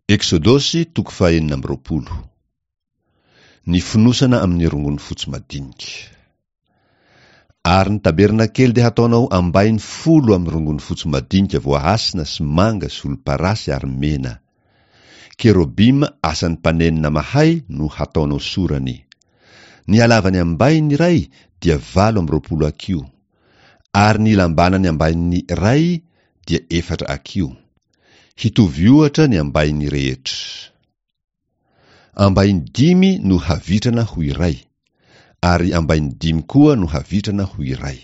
Eksodosy toko fahenina amby 20. Ny fonosana amin'ny rongony fotsy madinika. Ary ny tabernakely dia hataonao ambainy folo amin'ny rongony fotsy madinika voahasina sy manga sy volomparasy ary mena. Kerobima asan'ny mpanenona mahay no hataonao sorany. Ny halavan'ny ambainy iray dia 28 hakiho, ary ny lambanan'ny ambainy iray dia efatra hakiho. Hitovy ohatra ny ambainy rehetra. Ambainy dimy no havitrana ho iray, ary ambainy dimy koa no havitrana ho iray.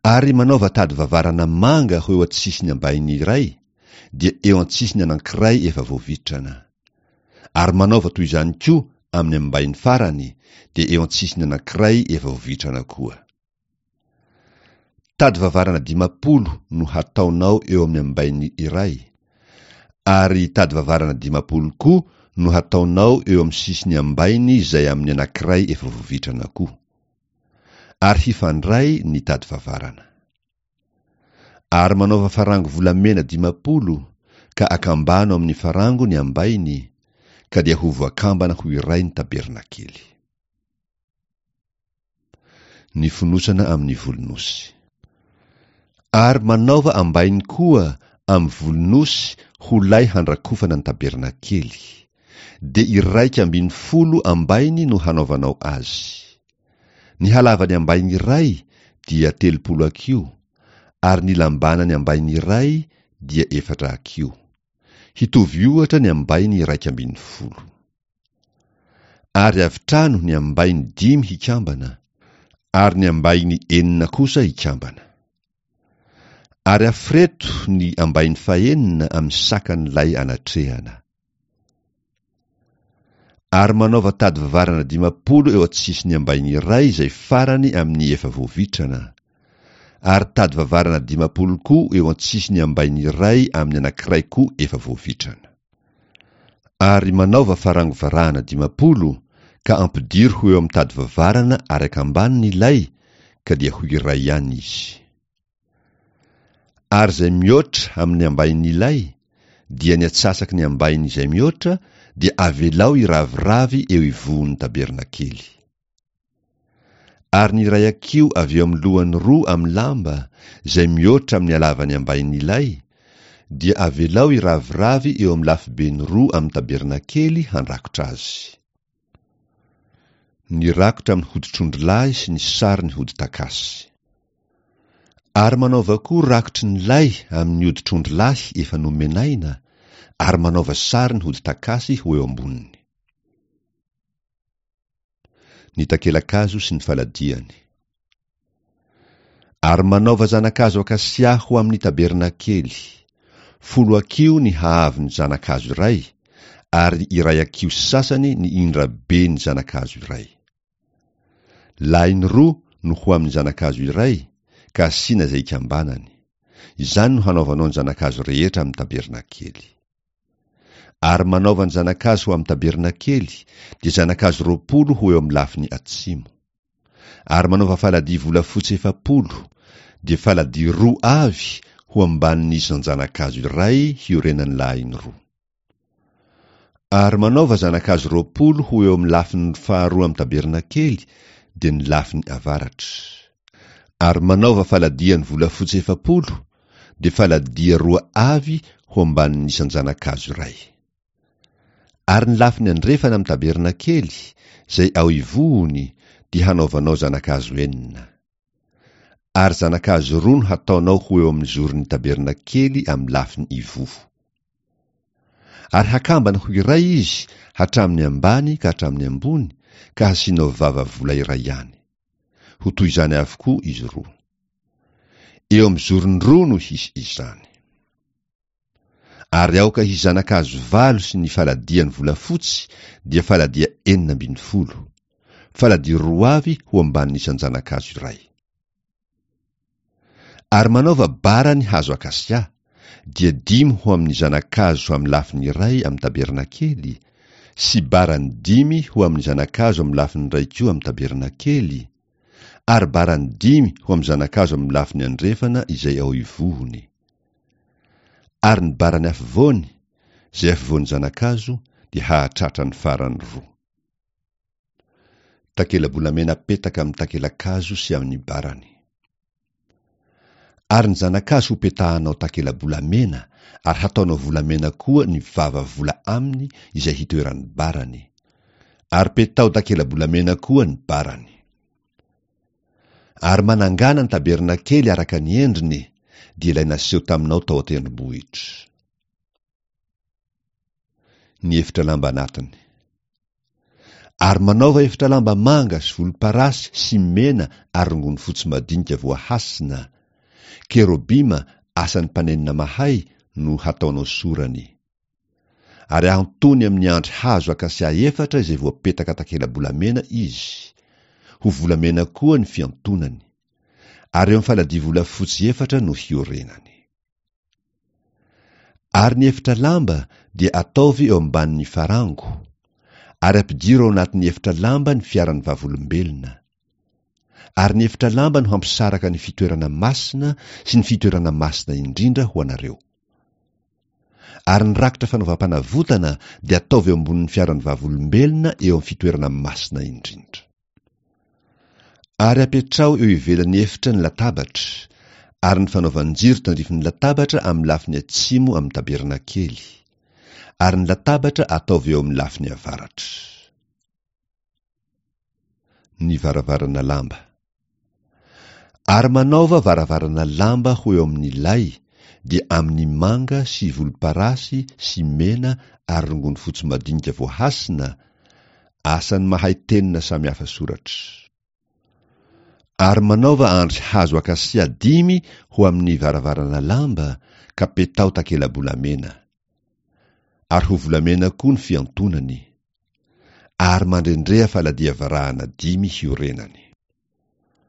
Ary manaova tady vavarana manga ho eo an-tsisiny ambainy iray, dia eo an-tsisiny anankiray efa voavitrana. Ary manaova toy izany koa amin'ny ambainy farany, dia eo an-tsisiny anankiray efa voavitrana koa. Tady vavarana 50 no hataonao eo amin'ny ambainy iray, ary tady vavarana 50 koa no hataonao eo amin'ny sisiny ambainy izay amin'ny anankiray efa voavitrana koa. Ary hifandray ny tady vavarana. Ary manaova farango volamena 50, ka akambano amin'ny farango ny ambainy, ka dia ho voakambana ho iray ny tabernakely. Ny fonosana amin'ny volon'osy. Ary manaova ambainy koa amin'ny volon'osy ho lay handrakofana ny tabernakely. Dia 11 ambainy no hanaovanao azy. Ny halavan'ny ambainy iray dia 30 hakiho, ary ny lambanan'ny ambainy iray dia efatra hakiho. Hitovy ohatra ny ambainy 11. Ary avitrano ny ambainy dimy hikambana, ary ny ambainy enina kosa hikambana. Ary aforeto ny ambainy fahenina amin'ny sakan'ilay anatrehana. Ary manaova tady vavarana 50 eo an-tsisin'ny ambainy iray izay farany amin'ny efa voavitrana, ary tady vavarana 50 koa eo an-tsisin'ny ambainy iray amin'ny anankiray koa efa voavitrana. Ary manaova farango varahana 50, ka ampidiro ho eo amin'ny tady vavarana ary akambano ny lay, ka dia ho iray ihany izy. Ary izay mihoatra amin'ny ambain'ny lay, dia ny atsasaky ny ambainy izay mihoatra, dia avelao hiraviravy eo ivohon'ny tabernakely. Ary ny iray hakiho avy eo amin'ny lohany roa amin'ny lamba, izay mihoatra amin'ny halavan'ny ambain'ny lay, dia avelao hiraviravy eo amin'ny lafibeny roa amin'ny tabernakely handrakotra azy. Ny rakotra amin'ny hoditr'ondrilahy sy ny sarin'ny hodi-takasy. Ary manaova koa rakotry ny lay amin'ny hoditr'ondrilahy efa nomenaina, ary manaova sarin'ny hodi-takasy ho eo amboniny. Ny takela-kazo sy ny faladiany. Ary manaova zana-kazo akasia ho amin'ny tabernakely, folo hakiho ny haavon'ny zana-kazo iray, ary iray hakiho sy sasany ny indraben'ny zana-kazo iray. Lahiny roa no ho amin'ny zana-kazo iray, ka asiana izay ikambanany. Izany no hanaovanao ny zana-kazo rehetra amin'ny tabernakely. Ary manaova ny zana-kazo ho amin'ny tabernakely, dia zana-kazo 20 ho eo amin'ny lafiny atsimo. Ary manaova faladia volafotsy 40, dia faladia roa avy ho ambanin'ny isan-janakazo iray hiorenan'ny lahiny roa. Ary manaova zana-kazo 20 ho eo amin'ny lafiny faharoa amin'ny tabernakely, dia ny lafiny avaratra. Ary manaova faladiany volafotsy 40, dia faladia roa avy ho ambanin'ny isan-janakazo iray. Ary ny lafiny andrefana amin'ny tabernakely, izay ao ivohony, dia hanaovanao zanakazo enina. Ary zanakazo roa no hataonao ho eo amin'ny zoron'ny tabernakely amin'ny lafiny ivoho. Ary hakambana ho iray izy hatramin'ny ambany ka hatramin'ny ambony, ka hasianao vava vola iray ihany. Ho toy izany avokoa izy roa. Eo amin'ny zorony roa no hisy izany. Ary aoka hisy zanakazo valo sy ny faladiany volafotsy dia faladia 16. Faladia roa avy ho ambanin'ny isan-janakazo iray. Ary manaova bara ny hazo akasia, dia dimy ho amin'ny zanakazo amin'ny lafiny iray amin'ny tabernakely, sy barany dimy ho amin'ny zanakazo amin'ny lafiny iray koa amin'ny tabernakely, ary barany dimy ho amin'ny zanakazo amin'ny lafiny andrefana izay ao ivohony. Ary ny barany afovoany, Izay afovoan'ny zana-kazo dia hahatratra ny farany roa. Takela-bolamena apetaka amin'ny takela-kazo sy amin'ny barany. Ary ny zana-kazo hopetahanao takela-bolamena ary hataonao volamena koa ny vava vola aminy izay hitoeran'ny barany. Ary petaho takela-bolamena koa ny barany. Ary manangàna ny tabernakely araka ny endriny, dia ilay naseho taminao tao an-tendrombohitra. Ny efitra lamba anatiny. Ary manaova efitra lamba manga sy volomparasy sy mena ary rongony fotsy madinika voahasina, kerobima asan'ny mpanenona mahay no hataonao sorany. Ary ahantony amin'ny andry hazo akasia efatra izay voapetaka takela-bolamena izy, ho volamena koa ny fiantonany, ary eo amin'ny faladia volafotsy efatra no hiorenany. Ary ny efitra lamba dia ataovy eo ambanin'ny farango, ary ampidiro ao anatin'ny efitra lamba ny fiaran'ny vavolombelona. Ary ny efitra lamba no hampisaraka ny fitoerana masina sy ny fitoerana masina indrindra ho anareo. Ary ny rakitra fanaovam-panavotana dia ataovy eo ambonin'ny fiaran'ny vavolombelona eo amin'ny fitoerana masina indrindra. Ary apetraho eo ivelan'ny efitra ny latabatra, ary ny fanaovan-jiro tandrifin'ny latabatra amin'ny lafiny atsimo amin'ny tabernakely, ary ny latabatra ataovy eo amin'ny lafiny avaratra. Ny varavarana lamba. Ary manaova varavarana lamba ho eo amin'ny lay, dia amin'ny manga sy volomparasy sy mena ary rongony fotsy madinika voahasina, asan'ny mahay tenona samy hafa soratra. Ary manaova andry hazo akasia dimy ho amin'ny varavarana lamba, ka petaho takela-bolamena. Ary ho volamena koa ny fiantonany. Ary mandrendreha faladia varahana dimy hiorenany.